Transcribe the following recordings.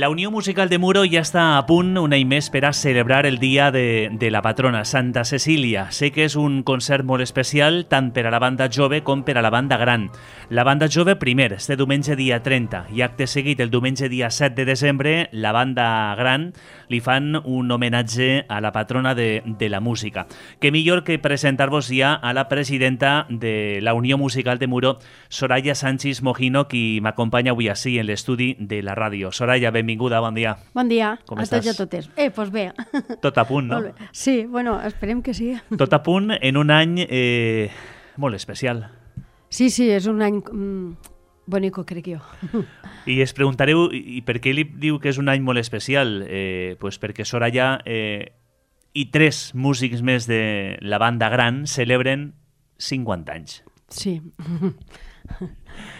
La Unió Musical de Muro ja està a punt un any més per a celebrar el dia de la patrona, Santa Cecília. Sé que és un concert molt especial tant per a la banda jove com per a la banda gran. La banda jove primer, este diumenge dia 30, i acte seguit el diumenge dia 7 de desembre, la banda gran li fan un homenatge a la patrona de la música. Què millor que presentar-vos ja a la presidenta de la Unió Musical de Muro, Soraya Sánchez Mojino, qui m'acompanya avui així en l'estudi de la ràdio. Soraya, benvinguda, bon dia. Bon dia, com a estàs? tots i a totes. Doncs bé. Tot a punt, no? Molt bé. Sí, bueno, esperem que sí. Tot a punt en un any molt especial. Sí, és un any bonico, crec jo. I es preguntareu, i per què li diu que és un any molt especial? Pues perquè Soraya i 3 músics més de la banda gran celebren 50 anys. Sí.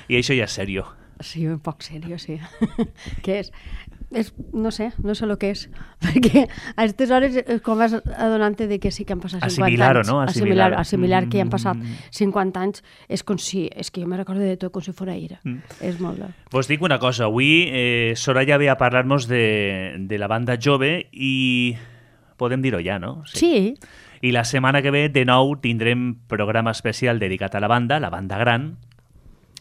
I això ja és seriós. Sí, un poc seriós, sí. Què és? No sé el que és. Perquè a aquestes hores com vas adonant-te de que sí que han passat 50 Assimilar-ho, anys. no? Assimilar que han passat 50 anys és com si... És que jo me recordo de tot com si fos ahir. És molt bé. Vos dic una cosa, avui Soraya ve a parlar-nos de la banda jove i podem dir-ho ja, no? Sí. I la setmana que ve, de nou, tindrem programa especial dedicat a la banda gran,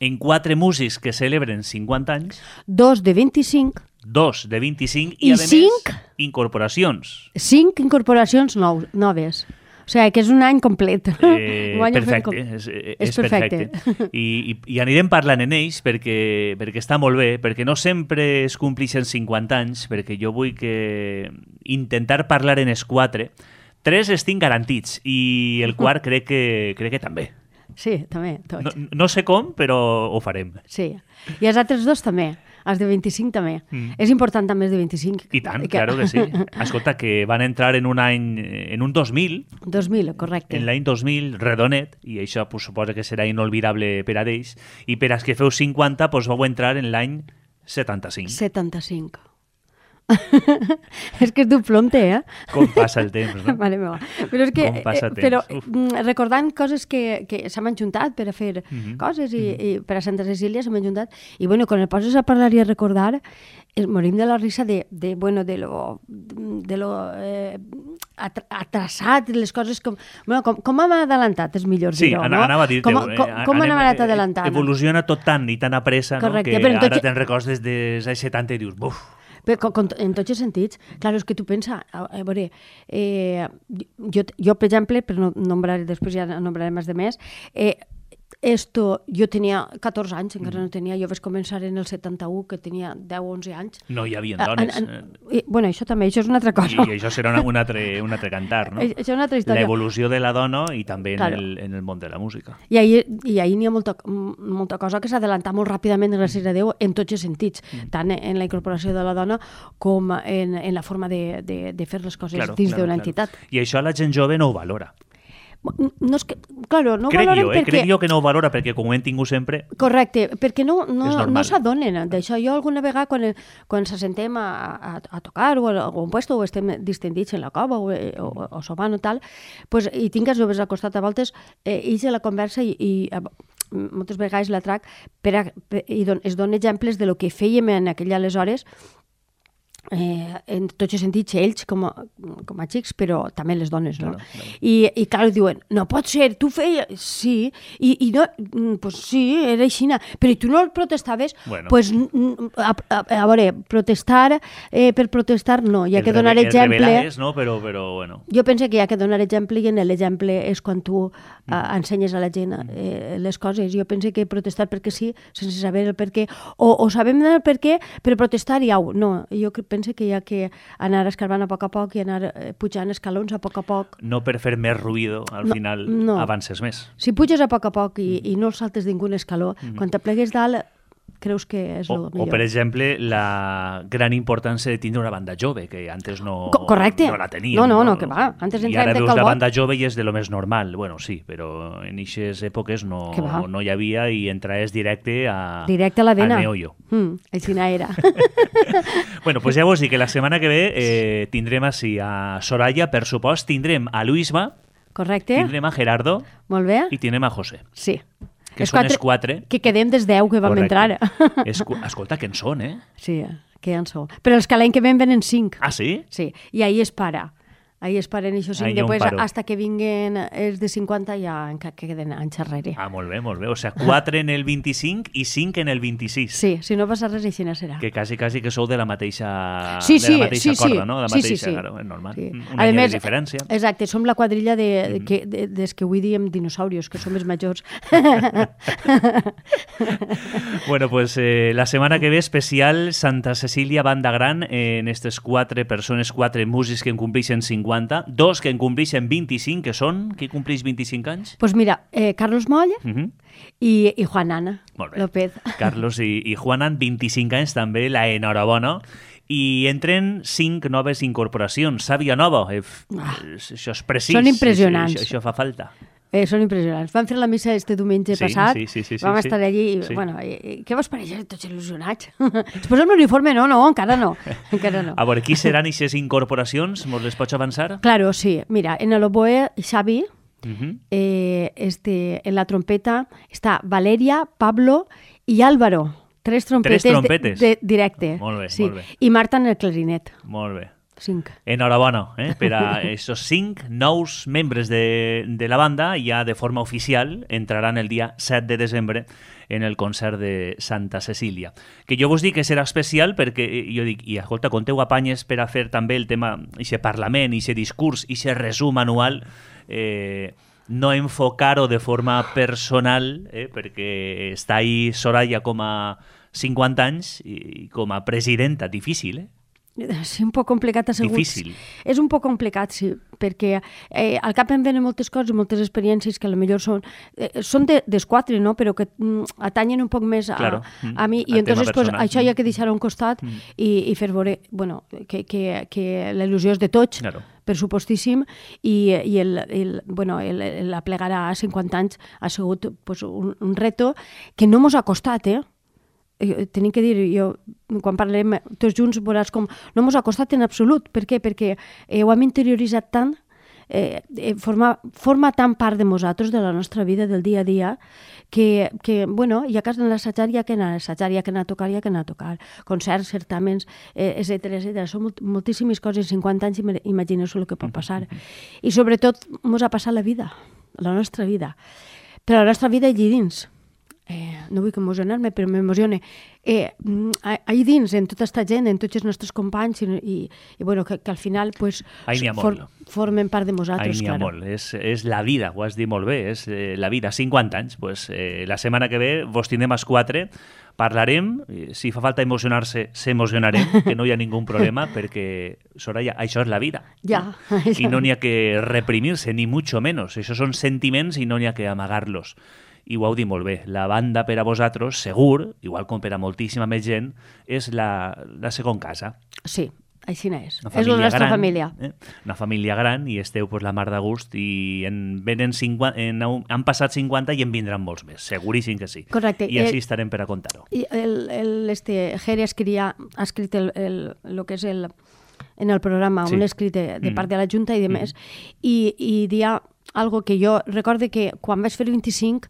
en 4 músics que celebren 50 anys. 2 de 25. 2 de 25 i a més, 5 incorporacions. 5 incorporacions noves. O sigui, que és un any complet. Perfecte, és perfecte. I anirem parlant en ells perquè està molt bé, perquè no sempre es complixen 50 anys, perquè jo vull que intentar parlar en els 4. 3 estic garantits i el quart crec que també. Sí, també, tots. No sé com, però ho farem. Sí, i els altres 2 també, els de 25 també. És important també els de 25. I tant, claro que sí. Escolta, que van entrar en un any, en un 2000. 2000, correcte. En l'any 2000, redonet, i això pues, suposa que serà inolvidable per a ells. I per als que feu 50, pues, vau entrar en l'any 75. 75. És que és duplonte, eh? Com passa el temps, no? Mare meva. Però és que, com passa el temps. Però recordant coses que s'han juntat per a fer coses i per a Santa Cecília s'han juntat i bueno, quan el poses a parlar i a recordar morim de la risa de lo atrasat, les coses com hem adelantat, és millor dir-ho, no? Sí, anava a dir-te. Com hem anat adelantant? Evoluciona tot tant i tan a pressa, no? Que ara te'n recordes des dels anys 70 i dius, buf. Però en tots els sentits, clar, és que tu pensa, a veure, jo, per exemple, però no nombraré, després ja nombraré més, jo tenia 14 anys, encara no tenia, jo vaig començar en el 71, que tenia 10 o 11 anys. No hi havia dones. Bueno, això també, això és una altra cosa. I això serà un altre cantar, no? Això és una altra història. L'evolució de la dona i també en el món de la música. I ahir n'hi ha molta cosa que s'ha adelantat molt ràpidament, gràcies a Déu, en tots els sentits, tant en la incorporació de la dona com en la forma de fer les coses dins d'una entitat. I això la gent jove no ho valora. No és que, claro, no valoren perquè... Crec jo que no ho valora perquè com ho hem tingut sempre... Correcte, perquè no s'adonen d'això. Jo alguna vegada quan s'assentem a tocar o a algun puesto o estem distendits en la cova o sopant o tal, pues, i tinc els joves al costat a voltes, ells a la conversa i moltes vegades l'atrac i es donen exemples de lo que fèiem en aquell aleshores en tots els sentits, ells com a xics, però també les dones, no? I clar, diuen, no pot ser, tu feies... Sí, i no, pues sí, era així, però tu no protestaves? Pues, a veure, protestar per protestar, no, hi ha que donar exemple... Rebel·lades, no? Però, bueno... Jo penso que hi ha que donar exemple i en l'exemple és quan tu ensenyes a la gent les coses. Jo penso que protestar perquè sí, sense saber el per què, o sabem el per què, però protestar i au, no, jo penso que hi ha que anar escarbant a poc i anar pujant escalons a poc. No per fer més ruïdo, al final avances més. Si puges a poc i no saltes ningun escaló, quan te plegues dalt creus que és el millor. O, per exemple, la gran importància de tindre una banda jove, que antes no la teníem. No, que va. Antes i ara veus la banda jove i és de lo més normal. Bueno, sí, però en aquestes èpoques no hi havia i entraves directe a la vena. Al meollo. Així era. Bueno, pues ja vos dic que la setmana que ve tindrem així a Soraya, per supost, tindrem a Luisma, correcte. Tindrem a Gerardo. Molt bé. I tindrem a José. Sí. Que són els 4. Que quedem des 10 que vam entrar. Escolta, que en són, eh? Sí, queden sol. Però els que l'any que ven venen 5. Ah, sí? Sí, i ahí es para. Ahí es paren això 5, després hasta que vinguen els de 50 ja queden anys enrere. Ah, molt bé, molt bé. O sigui, 4 en el 25 i 5 en el 26. Sí, si no passa res, així no serà. Que quasi que sou de la mateixa corda, no? De la mateixa, claro, és normal. Sí. Un any de diferència. Exacte, som la quadrilla des que avui diem dinosaurios, que som els majors. Bueno, pues la setmana que ve especial Santa Cecília Banda Gran en aquestes 4 persones, 4 músics que en compleixen 50, 2 que en compleixen 25, que són? Qui compleix 25 anys? Pues mira, Carlos Moll i Juan Ana López. Carlos i Juan Ana, 25 anys també, la enhorabona. I entren 5 noves incorporacions. Sàvia nova, això és precís. Són impressionants. Això fa falta. Són impressionants. Vam fer la missa este diumenge passat, vam estar allí i, bueno, què vos pareix? Tots il·lusionats. Es posen l'uniforme? No, encara no. A veure, qui seran aquestes incorporacions? Mos les pots avançar? Claro, sí. Mira, en el oboe, Xavi, en la trompeta està Valeria, Pablo i Álvaro. 3 trompetes directe. Molt bé, sí. molt bé. I Marta en el clarinet. Molt bé. 5. Enhorabona per a aquests 5 nous membres de la banda. Ja de forma oficial entraran el dia 7 de desembre en el concert de Santa Cecília. Que jo vos dic que serà especial perquè jo dic, i escolta, conteu apanyes per a fer també el tema, aquest parlament, aquest discurs, aquest resum anual, no enfocar-ho de forma personal, perquè està ahí Soraya com a 50 anys i com a presidenta, difícil, És un poc complicat, assegut. Difícil. És un poc complicat, sí, perquè al cap em venen moltes coses, moltes experiències que potser són des 4, no? Però que atanyen un poc més a mi. I entonces pues, això ja que deixar a un costat i fer veure que la il·lusió és de tots, per supostíssim, i la plegar a 50 anys ha sigut pues, un reto que no mos ha costat, tenim que dir, quan parlem tots junts veuràs com no mos ha costat en absolut. Per què? Perquè ho hem interioritzat tant, forma tan part de nosaltres, de la nostra vida, del dia a dia, que bueno, ja que has d'anar a assajar, ja que anar a assajar, ja que anar a tocar, ja que anar a tocar. Concerts, certàmens, etcètera. Són moltíssimes coses. 50 anys, imagineu-vos el que pot passar. I sobretot mos ha passat la vida, la nostra vida. Però la nostra vida allí dins. No vull emocionar-me, però m'emociona. Ahí dins, en tota aquesta gent, en tots els nostres companys, i bueno, que al final pues, formen part de nosaltres. Ahí n'hi ha molt. És la vida, ho has dit molt bé, és la vida. 50 anys. Pues, la setmana que ve vos tindrem els 4, parlarem, si fa falta emocionar-se, s'emocionarem, que no hi ha ningú problema, perquè, Soraya, això és la vida. Ja. I no n'hi ha que reprimir-se, ni mucho menos. Això són sentiments i no n'hi ha que amagar-los. I ho heu dit molt bé, la banda per a vosaltres, segur, igual com per a moltíssima més gent, és la segona casa. Sí, així és. És la nostra família. Una família gran i esteu pues, la mar de gust i han passat 50 i en vindran molts més, seguríssim que sí. Correcte. I així estarem per a contar-ho. Jere ha escrit el que és en el programa, un escrit de part de la Junta i de més, i dia algo que jo recorde que quan vaig fer 25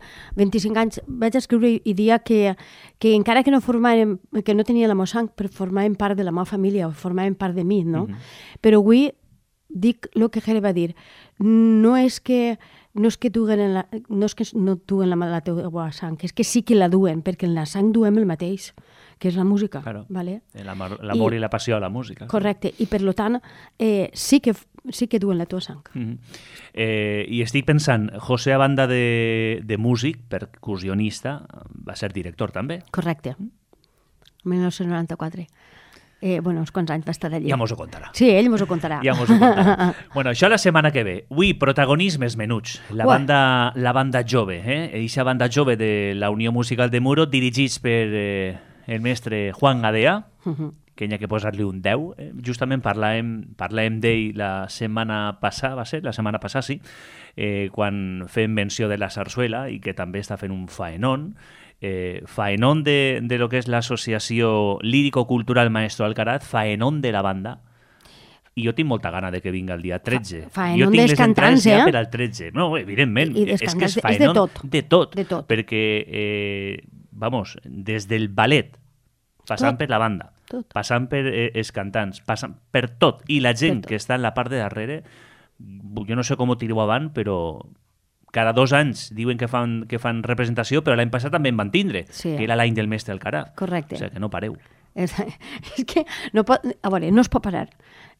anys vaig escriure i dir que encara que no tenia la meva sang, però formaven part de la meva família o formaven part de mi, no? Però avui dic el que Jere va dir. No és que no duen la teua sang, és que sí que la duen, perquè en la sang duem el mateix, que és la música. Claro. ¿Vale? L'amor i la passió a la música. Correcte, i per tant sí que duen la teva sang. I estic pensant, José, a banda de músic, percussionista, va ser director també. Correcte, 1994. Uns quants anys va estar allí. Ja mos ho contarà. Sí, ell mos ho contarà. Ja mos ho contarà. Bueno, això la setmana que ve. Avui, protagonismes menuts. La banda jove, eixa banda jove de la Unió Musical de Muro, dirigits per el mestre Juan Gadea, que hi ha que posar-li un 10. Justament parlàvem d'ell la setmana passada, sí, quan fem menció de la sarsuela i que també està fent un faenón. Faenón de lo que és l'associació lírico-cultural Maestro Alcaraz, faenón de la banda, i jo tinc molta gana de que vinga el dia 13. Faenón dels cantants, ja per al 13. No, evidentment, és que és faenón de tot, perquè, des del ballet, passant per la banda, passant per els cantants, passant per tot. I la gent que està en la part de darrere, jo no sé com ho tireu avant, però cada 2 anys diuen que fan representació, però l'any passat també en van tindre, que era l'any del mestre Alcaraz. Correcte. O sigui, que no pareu. És que no es pot parar.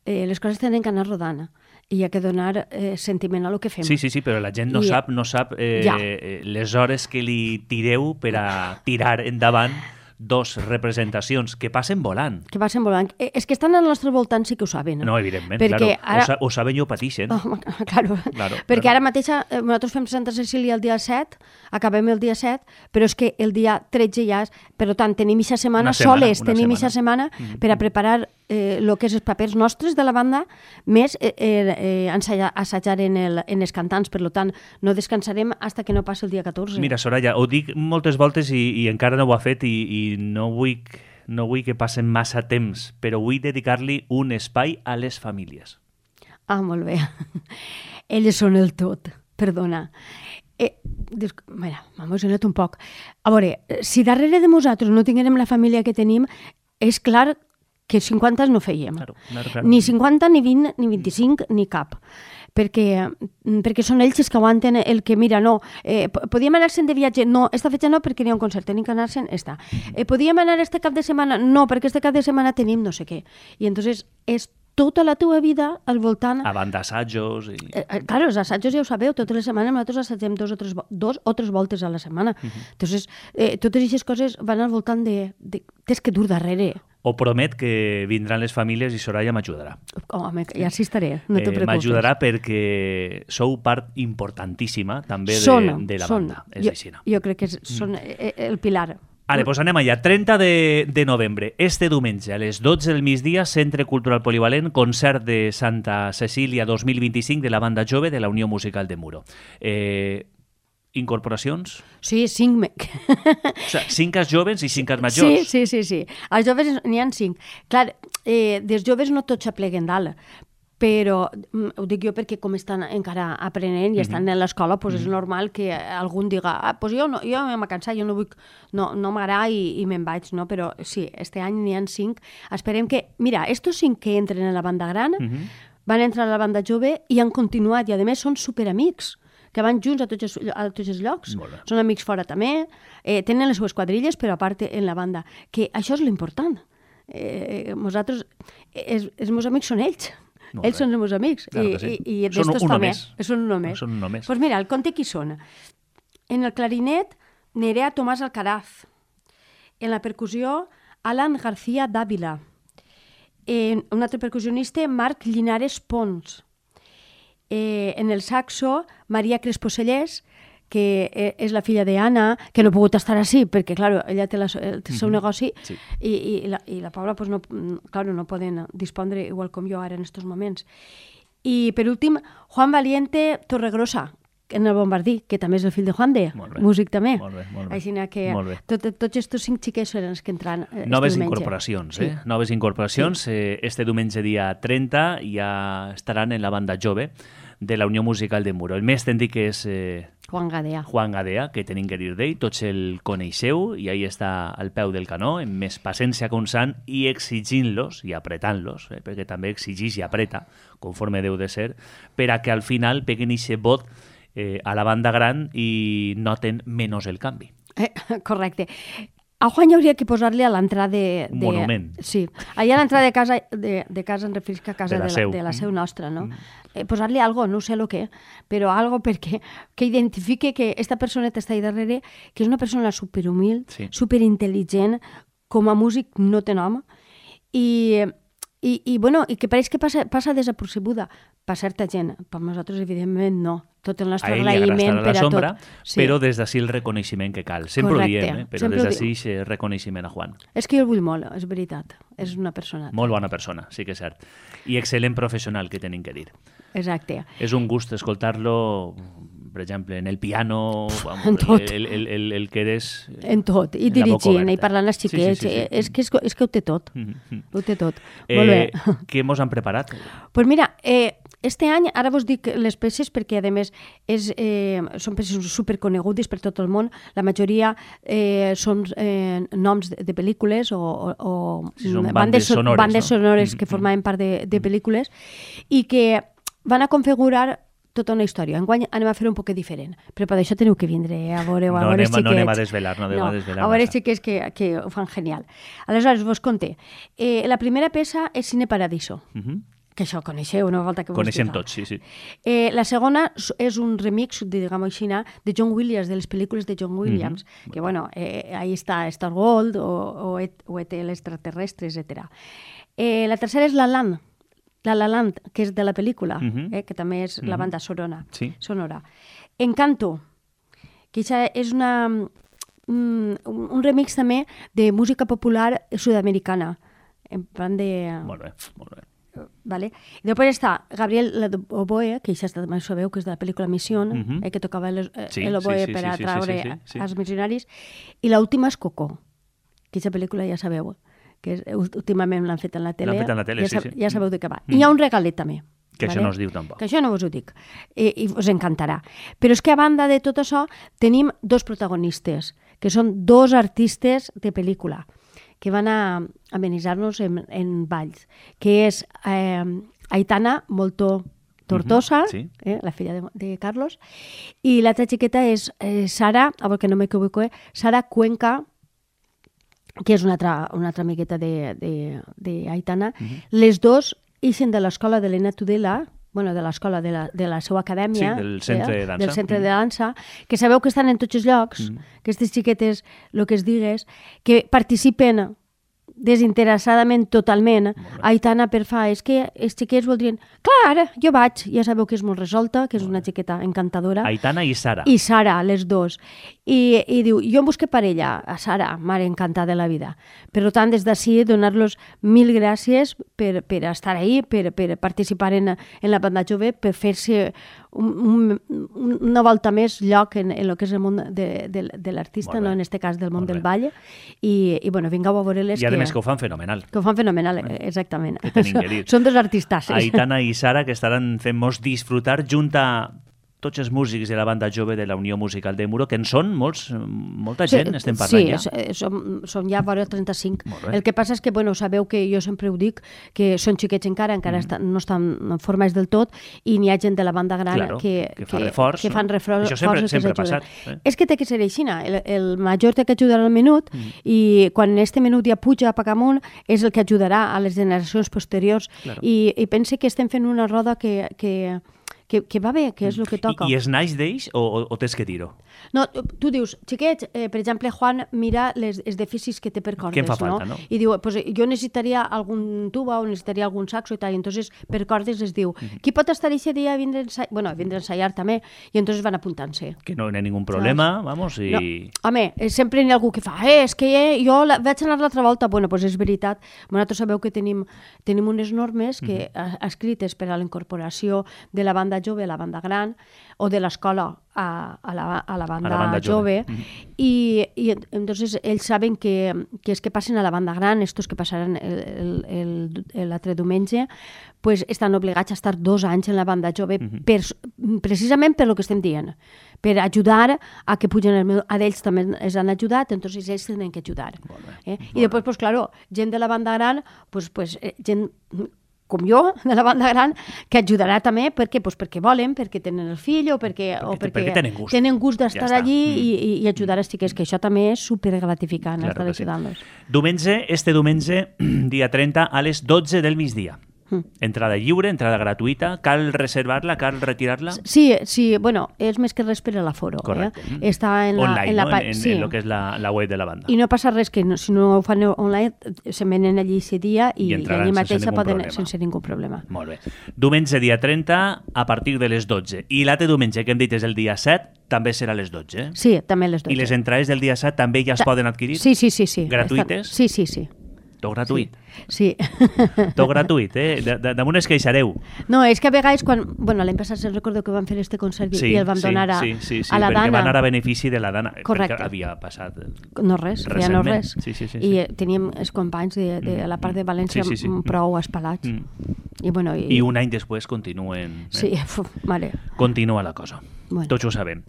Les coses tenen que anar rodant i hi ha que donar sentiment a lo que fem. Sí, però la gent no sap les hores que li tireu per a tirar endavant 2 representacions que passen volant. És que estan al nostre voltant, sí que ho saben. No, evidentment, perquè ara... ho saben i ho pateixen. Claro. Perquè ara mateix nosaltres fem Santa Cecília el dia 7, acabem el dia 7, però és que el dia 13 ja és... Per tant, tenim aquesta setmana soles, tenim aquesta setmana per a preparar el que és els papers nostres de la banda, més assajar en els cantants. Per tant, no descansarem fins que no passi el dia 14. Mira, Soraya, ho dic moltes voltes i encara no ho ha fet i no vull que passen massa temps, però vull dedicar-li un espai a les famílies. Molt bé. Elles són el tot, perdona. Mira, m'ha emocionat un poc. A veure, si darrere de nosaltres no tinguérem la família que tenim, és clar que 50 no fèiem. Claro. Ni 50, ni 20, ni 25, ni cap. Perquè són ells que aguanten el que, mira, no, podíem anar-se'n de viatge, no, esta fetge no, perquè n'hi ha un concert, tenim que anar-se'n, esta. Podíem anar este cap de setmana, no, perquè este cap de setmana tenim no sé què. I entonces és tota la teva vida al voltant... A banda d'assajos... Claro, els assajos ja ho sabeu, totes les setmanes nosaltres assagem 2 o 3 voltes a la setmana. Entonces, totes aquestes coses van al voltant de tens que dur darrere. O promet que vindran les famílies i Soraya m'ajudarà. Home, ja sí estaré, no te preocupes. M'ajudarà perquè sou part importantíssima també de la banda. Jo crec que són el pilar. Vale, doncs anem allà. 30 de novembre, este diumenge, a les 12 del migdia, Centre Cultural Polivalent, concert de Santa Cecília 2025 de la banda jove de la Unió Musical de Muro. Incorporacions? Sí, 5. O sigui, 5 joves i 5 majors. Sí. Els joves n'hi ha 5. Clar, dels joves no tots s'apleguen dalt, però ho dic jo perquè com estan encara aprenent i estan a l'escola, doncs és normal que algun diga doncs jo m'he cansat, jo no vull, no m'agrada i me'n vaig, no? Però sí, este any n'hi ha 5. Esperem que, mira, estos 5 que entren a la banda gran van entrar a la banda jove i han continuat, i a més són superamics, que van junts a tots els llocs. Són amics fora també, tenen les seues quadrilles, però a part en la banda. Que això és l'important. Nosaltres, els meus amics són ells. Ells són els meus amics. I d'estos també. Són un només. Doncs mira, el conte qui són. En el clarinet, Nerea Tomàs Alcaraz. En la percussió, Alan García Dávila. Un altre percussionista, Marc Llinares Pons. En el saxo, Maria Crespo Cellers, que és la filla d'Anna, que no ha pogut estar així, perquè, clar, ella té el seu negoci, i la Paula, no poden dispondre igual com jo ara en aquests moments. I, per últim, Juan Valiente Torregrosa, en el Bombardí, que també és el fill de Juan de, músic també. Molt bé. Així que tots aquests 5 xiquets eren els que entran Noves incorporacions, Noves incorporacions. Este diumenge dia 30 ja estaran en la banda jove de la Unió Musical de Muro. El més tècnic és Juan Gadea, que tenim que dir d'ell, tots el coneixeu i ahí està al peu del canó, amb més paciència constant i exigint-los i apretant-los, perquè també exigeix i apreta, conforme deu de ser, per a que al final peguen aquest vot a la banda gran i noten menys el canvi. Correcte. A Juan hi hauria que posar-li a l'entrada de... Monument. Sí. Allà a l'entrada de casa en referisca a casa de la seu nostra, no? Posar-li algo, no sé el què, però algo perquè que identifique que esta personeta està ahí darrere, que és una persona superhumil, superintel·ligent, com a músic no té nom, i que pareix que passa desapercebuda per certa gent. Per nosaltres, evidentment, no. Tot el nostre agraïment per a tot. Però des d'ací el reconeixement que cal. Sempre ho diem, però des d'ací el reconeixement a Juan. És que jo el vull molt, és veritat. És una persona. Molt bona persona, sí que és cert. I excel·lent professional, que tenim que dir. Exacte. És un gust escoltar-lo, per exemple, en el piano, en tot. El que eres... En tot, i dirigint, i parlant als xiquets. És que ho té tot. Ho té tot. Molt bé. Què mos han preparat? Doncs mira, Este any, ara vos dic les peces perquè, a més, són peces superconegudes per tot el món. La majoria són noms de pel·lícules o bandes sonores que formaven part de pel·lícules i que van a configurar tota una història. Enguany anem a fer un poc diferent, però per això teniu que vindre a veure xiquets. No anem a desvelar. A veure xiquets que ho fan genial. Aleshores, vos conté. La primera peça és Cine Paradiso. Que això coneixeu una volta que vos coneixem tots, sí. La segona és un remix, diguem-ho així, de John Williams, de les pel·lícules de John Williams, que, bueno, ahí està Star Wars o E.T. l'extraterrestre, etc. La tercera és La La Land, que és de la pel·lícula, que també és la banda sonora. Encanto, que és un remix també de música popular sud-americana, en plan de... Molt bé. Vale. I després està Gabriel Oboe, que ja també sabeu que és de la pel·lícula Mission, que tocava l'oboe per atraure els missionaris, i l'última és Coco, que aquesta pel·lícula ja sabeu, que últimament l'han fet en la tele, ja sabeu de què va. I hi ha un regalet també. Que això no us diu tampoc. Que això no us ho dic, i us encantarà. Però és que a banda de tot això tenim dos protagonistes, que són dos artistes de pel·lícula, que van a amenitzar-nos en balls, que és Aitana Molto Tortosa, la filla de Carlos, i l'altra xiqueta és Sara, perquè no m'equivoco, Sara Cuenca, que és una altra amigueta d'Aitana. Les dos ixen de l'escola de l'Elena Tudela, de l'escola de la seva acadèmia, del centre de dansa, que sabeu que estan en tots els llocs, que aquestes xiquetes, el que es digues, que participen desinteressadament totalment. Aitana és que els xiquets voldrien... Clar, jo vaig, ja sabeu que és molt resolta, que és una xiqueta encantadora. Aitana i Sara. I Sara, les dos. I diu, jo em busqué parella, a Sara, mare encantada de la vida. Per tant, des d'ací, donar-los mil gràcies per estar ahí, per participar en la banda jove, per fer-se una volta més lloc en el que és el món de l'artista, no en aquest cas del món del ball. I vingueu a veure-les. I a més que ho fan fenomenal. Que ho fan fenomenal, exactament. Que tenim que dir. Són dos artistasses. Aitana i Sara, que estaran fent-nos disfrutar junt a tots els músics de la banda jove de la Unió Musical de Muro, que en són molta gent, estem parlant ja. Sí, som ja vora 35. El que passa és que, sabeu que jo sempre ho dic, que són xiquets encara no estan formats del tot, i n'hi ha gent de la banda gran que fan reforç. Això sempre ha passat. És que té que ser així. El major té que ajudar al menut, i quan este menut ja puja a Pacamunt, és el que ajudarà a les generacions posteriors. I pense que estem fent una roda que va bé, que és el que toca. I es naix d'ells o tens que dir-ho? No, tu dius, xiquets, per exemple, Juan mira els dèficits que té per cordes, què em fa falta, no? I diu, jo necessitaria algun tuba o necessitaria algun saxo i tal, i entonces per cordes les diu, qui pot estar aquest dia a vindre a ensaiar també, i entonces van apuntant-se. Que no hi ha ningú problema, vamos, i... No. Home, sempre hi ha algú que fa, és que jo vaig anar l'altra volta, doncs és veritat, vosaltres sabeu que tenim unes normes escrites per a la incorporació de la banda jove a la banda gran, o de l'escola a la banda jove, i entonces ells saben que els que passen a la banda gran, estos que passaran l'altre diumenge, pues estan obligats a estar 2 anys en la banda jove, precisament per lo que estem dient, per ajudar a que pugen el meu... A ells també els han ajudat, entonces ells tenen que ajudar. I després, pues claro, gent de la banda gran, gent com jo, de la banda gran, que ajudarà també perquè volen, perquè tenen el fill o perquè tenen gust d'estar allí i ajudar els xiquets, que això també és supergratificant, estar ajudant-los. Este diumenge, dia 30, a les 12 del migdia. Entrada lliure, entrada gratuïta, cal reservar-la, cal retirar-la? Sí, és més que res per a l'aforo. Correcte. Està en online, en el que és la web de la banda. I no passa res, que si no ho fan online, se venen allí aquest dia i allí mateixa poden sense ningú problema. Molt bé. Diumenge, dia 30, a partir de les 12. I l'altre diumenge, que hem dit és el dia 7, també serà a les 12. Sí, també a les 12. I les entrades del dia 7 també ja es poden adquirir? Sí. Gratuïtes? Sí. Tot gratuït. Sí. Tot gratuït, Damunt es queixareu. No, és que a vegades, l'any passat se'n recordo que vam fer este concert i el vam donar a la Dana. Sí, perquè va anar a benefici de la Dana. Correcte. Perquè havia passat no res. Sí. I teníem els companys de la part de València prou espalats. I un any després continuen. Sí, mare. Continua la cosa. Bueno. Tots ho sabem.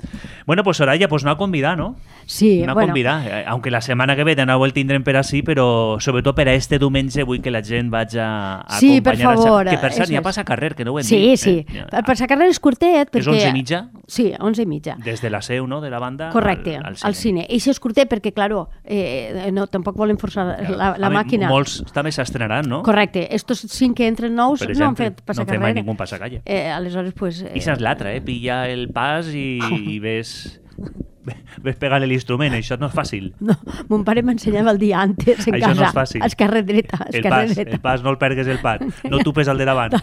Bueno, pues Soraya, pues no a convidar, ¿no? Sí, no a convidar. Aunque la setmana que ve de nou el tindrem per així, però sobretot per a este diumenge vull que la gent vagi a sí, acompanyar. Per favor. Que per cert, ja passa carrer, que no ho hem dit. Sí. El passacarrer és curtet. És 11:30? Sí, 11:30. Des de la seu, no?, de la banda correcte, al cine. I això és curtet perquè, claro, no, tampoc volem forçar la màquina. Molts també s'estrenaran, no? Correcte. Estos 5 que entren nous no han fet passacarrer. No fem mai ningú passacalle. Aleshores, pues... I és l'altra, pilla el pas i ves pegar l'instrument, això no és fàcil. No, mon pare m'ensenyava el dia antes en això casa. No és fàcil. Esquerra dreta. El pas, no el pergues el pas. No tupes el de davant.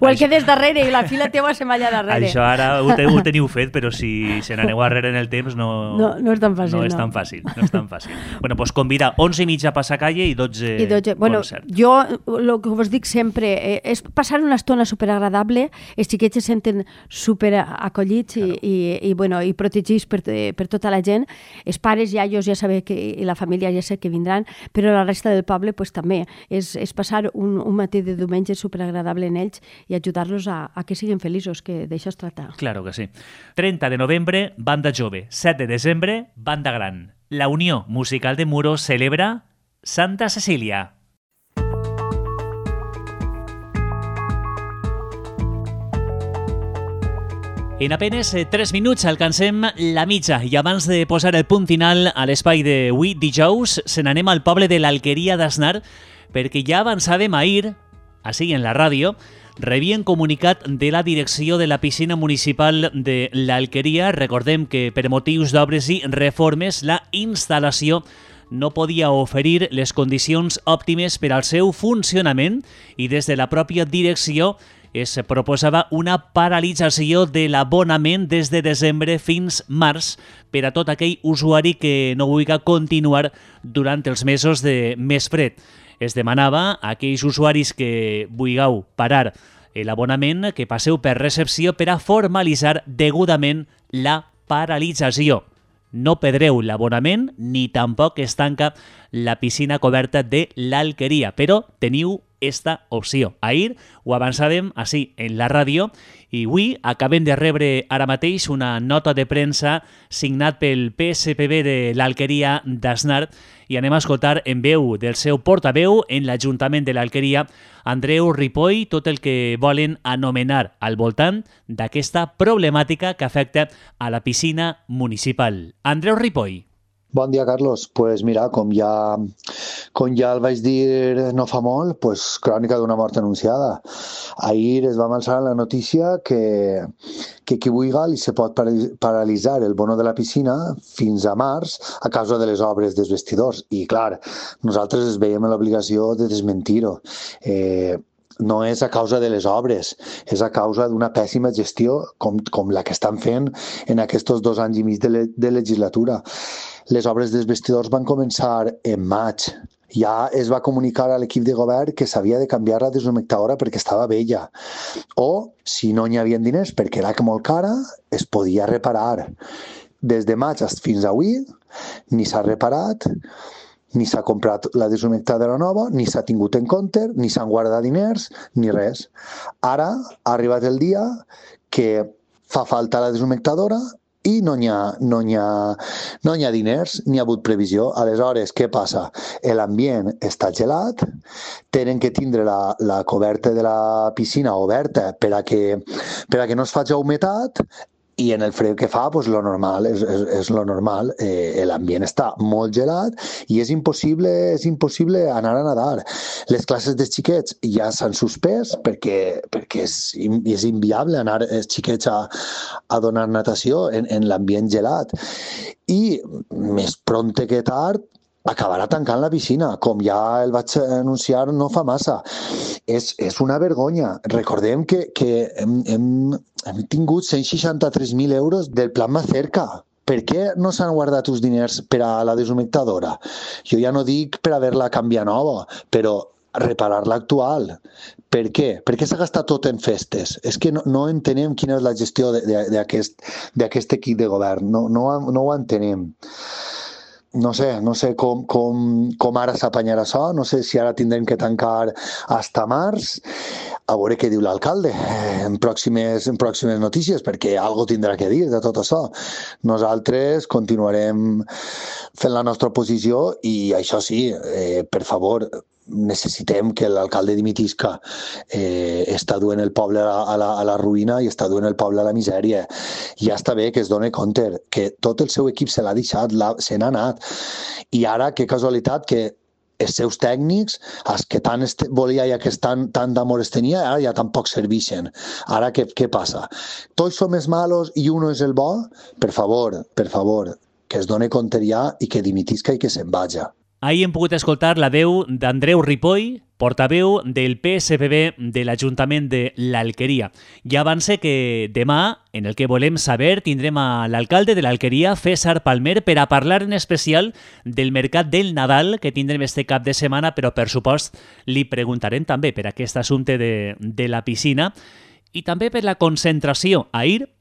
O el que des darrere i la fila teua se m'allà darrere. Això ara ho teniu fet, però si se n'aneu darrere en el temps no és tan fàcil. No és tan fàcil. Bueno, doncs convida 11:30 a Passacalle i 12 concert. Jo el que us dic sempre és passar una estona superagradable, els xiquets se senten superacollits i protegits per tota la gent. Els pares, iaios, ja sabeu i la família ja sé que vindran, però la resta del poble pues, també és passar un matí de diumenge superagradable en ells i ajudar-los a que siguin feliços, que d'això es tracta. Claro que sí. 30 de novembre, banda jove. 7 de desembre, banda gran. La Unió Musical de Muro celebra Santa Cecília. En apenes 3 minuts alcancem la mitja i abans de posar el punt final a l'espai d'avui dijous se n'anem al poble de l'Alqueria d'Asnar perquè ja avançàvem ahir, així en la ràdio, rebien comunicat de la direcció de la piscina municipal de l'Alqueria. Recordem que per motius d'obres i reformes la instal·lació no podia oferir les condicions òptimes per al seu funcionament i des de la pròpia direcció es proposava una paralització de l'abonament des de desembre fins març per a tot aquell usuari que no vulgui continuar durant els mesos de més fred. Es demanava a aquells usuaris que vulgueu parar l'abonament que passeu per recepció per a formalitzar degudament la paralització. No perdreu l'abonament ni tampoc es tanca la piscina coberta de l'Alqueria, però teniu esta opció. Ahir ho avançàvem així en la ràdio i avui acabem de rebre ara mateix una nota de premsa signat pel PSPB de l'Alqueria d'Asnar i anem a escoltar en veu del seu portaveu en l'Ajuntament de l'Alqueria, Andreu Ripoll, tot el que volen anomenar al voltant d'aquesta problemàtica que afecta a la piscina municipal. Andreu Ripoll. Bon dia, Carlos. Pues mira, com ja el vaig dir no fa molt, pues crònica d'una mort anunciada. Ahir es va avançar la notícia que qui vulgui se pot paralitzar el bono de la piscina fins a març a causa de les obres dels vestidors. I clar, nosaltres es veiem en l'obligació de desmentir-ho. No és a causa de les obres, és a causa d'una pèssima gestió com la que estan fent en aquests 2 anys i mig de legislatura. Les obres dels vestidors van començar en maig. Ja es va comunicar a l'equip de govern que s'havia de canviar la deshumectadora perquè estava vella. O, si no n'hi havia diners perquè era molt cara, es podia reparar. Des de maig fins avui ni s'ha reparat, ni s'ha comprat la deshumectadora nova, ni s'ha tingut en compte, ni s'han guardat diners, ni res. Ara ha arribat el dia que fa falta la deshumectadora i no n'hi ha diners, ni ha hagut previsió. Aleshores, què passa? L'ambient està gelat, tenen que tindre la coberta de la piscina oberta per a que no es faci humitat i en el fred que fa, pues, lo normal és lo normal. L'ambient està molt gelat i és impossible anar a nedar. Les classes dels xiquets ja s'han suspès perquè és inviable anar els xiquets a donar natació en l'ambient gelat. I més prompte que tard acabarà tancant la piscina, com ja el vaig anunciar no fa massa. És una vergonya. Recordem que hem tingut 163.000 euros del Plan Macerca per què no s'han guardat els diners per a la deshumectadora? Jo ja no dic per haver-la canviat nova, però reparar l'actual. Per què? Per què s'ha gastat tot en festes? És que no entenem quina és la gestió d'aquest equip de govern. No ho entenem. No sé com ara s'apanyarà això, no sé si ara tindrem que tancar hasta març, a veure què diu l'alcalde en pròximes notícies, perquè algo tindrà que dir de tot això. Nosaltres continuarem fent la nostra oposició i això sí, per favor, necessitem que l'alcalde dimitisca. Està duent el poble a la ruïna i està duent el poble a la misèria. Ja està bé que es doni compte que tot el seu equip se l'ha deixat, se n'ha anat. I ara, que casualitat, que els seus tècnics, els que tant volia i que tant d'amor es tenia, ara ja tampoc serveixen. Ara què passa? Tots som els malos i uno és el bo? Per favor, que es doni compte ja i que dimitisca i que se'n vaja. Ahir hem pogut escoltar la veu d'Andreu Ripoll, portaveu del PSPB de l'Ajuntament de l'Alqueria. Ja avance que demà, en el que volem saber, tindrem a l'alcalde de l'Alqueria, César Palmer, per a parlar en especial del mercat del Nadal que tindrem este cap de setmana, però per supost li preguntarem també per aquest assumpte de la piscina i també per la concentració. Ahir,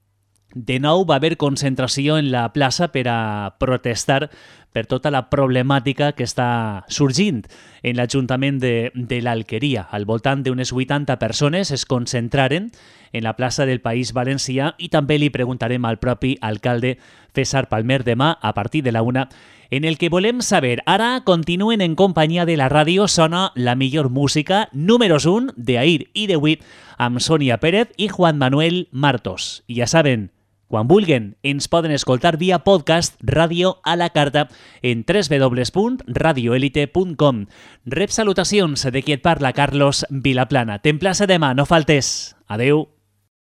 de nou, va haver concentració en la plaça per a protestar per tota la problemàtica que està sorgint en l'Ajuntament de l'Alqueria. Al voltant d'unes 80 persones es concentraren en la plaça del País Valencià i també li preguntarem al propi alcalde César Palmer demà a partir de la 1, en el que volem saber. Ara continuen en companyia de la ràdio, sona la millor música, números 1 d'ahir i d'avui, amb Sònia Pérez i Juan Manuel Martos. I ja saben, quan vulguen, ens poden escoltar via podcast Ràdio a la Carta en www.radioelite.com. Rep salutacions de qui et parla, Carlos Vilaplana. T'emplaça demà, no faltes. Adeu.